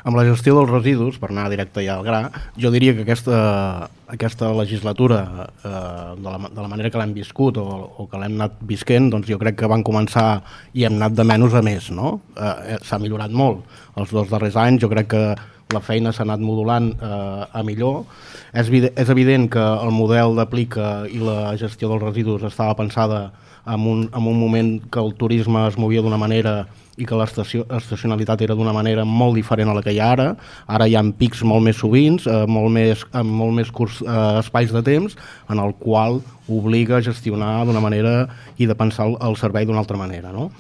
Amb la gestió dels residus, per anar directe ja al gra, jo diria que aquesta legislatura, de la manera que l'hem viscut o que l'hem anat visquent, doncs jo crec que van començar i hem anat de menys a més, no? S'ha millorat molt els 2 darrers anys, jo crec que la feina s'ha anat modulant a millor. És evident que el model d'aplica i la gestió dels residus estava pensada en un moment que el turisme es movia d'una manera i que l'estacionalitat era d'una manera molt diferent a la que hi ha ara. Ara hi ha pics molt més sovins, amb molt més curts espais de temps, en el qual obliga a gestionar d'una manera i de pensar el servei d'una altra manera, no?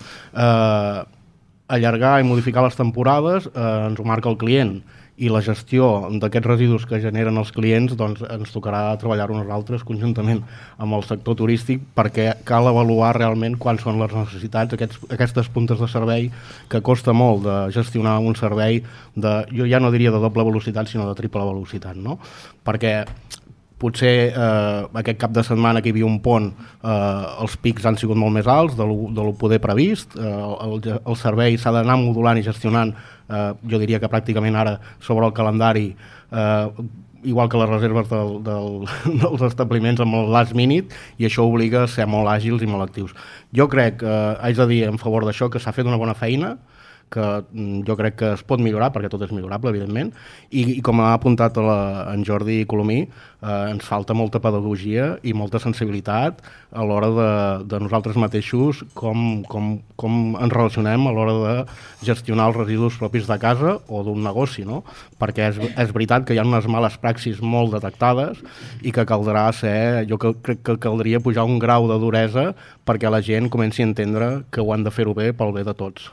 Allargar i modificar les temporades ens ho marca el client, i la gestió d'aquests residus que generen els clients, doncs ens tocarà treballar-ho nosaltres conjuntament amb el sector turístic, perquè cal avaluar realment quants són les necessitats, aquestes puntes de servei que costa molt de gestionar un servei jo ja no diria de doble velocitat, sinó de triple velocitat, no? Perquè potser aquest cap de setmana que hi havia un pont, els pics han sigut molt més alts de lo poder previst, el servei s'ha d'anar modulant i gestionant, jo diria que pràcticament ara sobre el calendari, igual que les reserves dels establiments amb el last minute, i això obliga a ser molt àgils i molt actius. Jo crec, haig de dir en favor d'això, que s'ha fet una bona feina, que jo crec que es pot millorar, perquè tot és millorable, evidentment, i com ha apuntat en Jordi Colomí, ens falta molta pedagogia i molta sensibilitat a l'hora de nosaltres mateixos, com ens relacionem a l'hora de gestionar els residus propis de casa o d'un negoci, no? Perquè és veritat que hi ha unes males praxis molt detectades i que caldrà jo crec que caldria pujar un grau de duresa perquè la gent comenci a entendre que ho han de fer-ho bé pel bé de tots.